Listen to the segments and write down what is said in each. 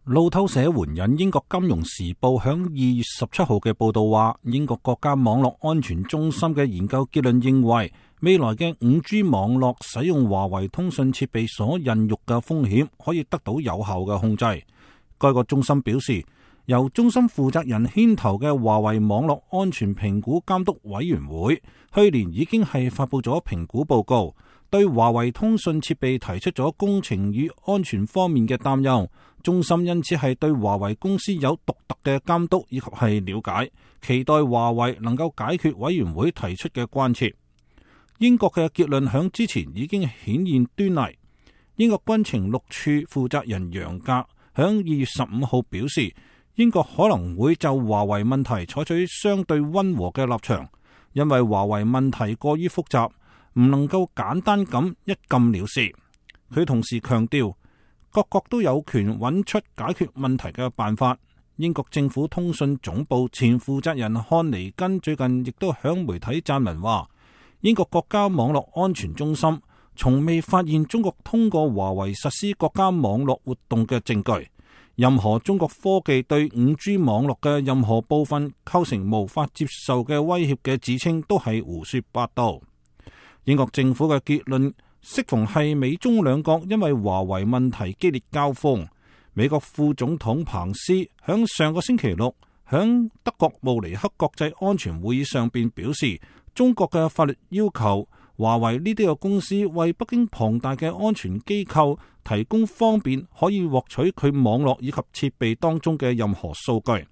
路透社援引英國金融時報響2月17號嘅報道話，英國國家網絡安全中心嘅研究結論認為，未來嘅 5G 網絡使用華為通訊設備所孕育嘅風險可以得到有效嘅控制。該個中心表示，由中心負責人牽頭嘅華為網絡安全評估監督委員會去年已經係發佈咗評估報告，對華為通訊設備提出咗工程與安全方面嘅擔憂。中心因此係對華為公司有獨特嘅監督以及係了解，期待華為能夠解決委員會提出嘅關切。英國嘅結論響之前已經顯現端倪。英國軍情六處負責人楊格響2月15號表示，英國可能會就華為問題採取相對溫和嘅立場，因為華為問題過於複雜，唔能夠簡單咁一禁了事。佢同時強調，各國都有權揾出解決問題嘅辦法。英國政府通訊總部前負責人漢尼根最近亦都響媒體撰文話，英國國家網絡安全中心從未發現中國通過華為實施國家網絡活動嘅證據。任何中國科技對 5G 網絡嘅任何部分構成無法接受嘅威脅嘅指稱都係胡說八道。英國政府嘅結論適逢係美中兩國因為華為問題激烈交鋒。美國副總統彭斯響上個星期六響德國慕尼黑國際安全會議上邊表示，中國嘅法律要求華為呢啲嘅公司為北京龐大嘅安全機構提供方便可以獲取佢網絡以及設備當中嘅任何數據。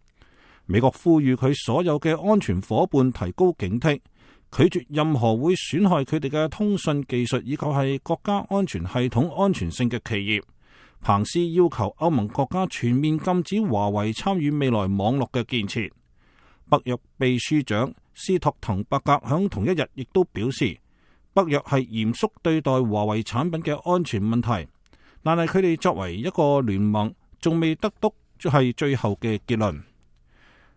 美國呼籲佢所有嘅安全夥伴提高警惕，拒絕任何會損害佢哋嘅通訊技術以及係國家安全系統安全性嘅企業。彭斯要求歐盟國家全面禁止華為參與未來網絡嘅建設。北約秘書長斯托滕伯格響同一日亦都表示，北約係嚴肅對待華為產品嘅安全問題，但係佢哋作為一個聯盟，仲未得到係最後嘅結論。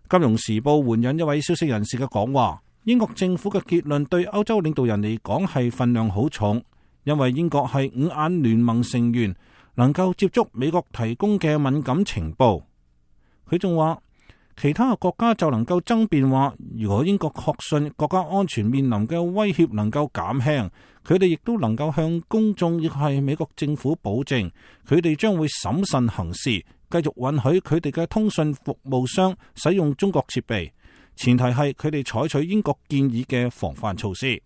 金融時報援引一位消息人士嘅講話，英國政府嘅結論對歐洲領導人嚟講係份量好重，因為英國係五眼聯盟成員，能夠接觸美國提供嘅敏感情報。佢仲話，其他嘅國家就能夠爭辯話，如果英國確信國家安全面臨嘅威脅能夠減輕，佢哋亦都能夠向公眾亦係美國政府保證，佢哋將會審慎行事，繼續允許佢哋嘅通訊服務商使用中國設備，前提係佢哋採取英國建議嘅防範措施。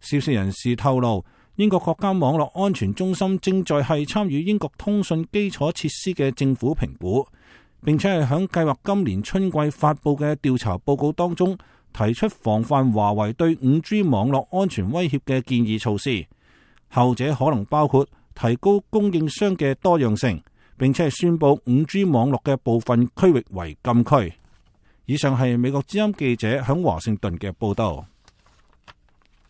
消息人士透露，英國國家網絡安全中心正在係參與英國通訊基礎設施嘅政府評估，並且係響計劃今年春季發佈嘅調查報告當中提出防範華為對 5G 網絡安全威脅嘅建議措施。後者可能包括提高供應商嘅多樣性，並且係宣佈 5G 網絡嘅部分區域為禁區。以上係美國之音記者響華盛頓嘅報道。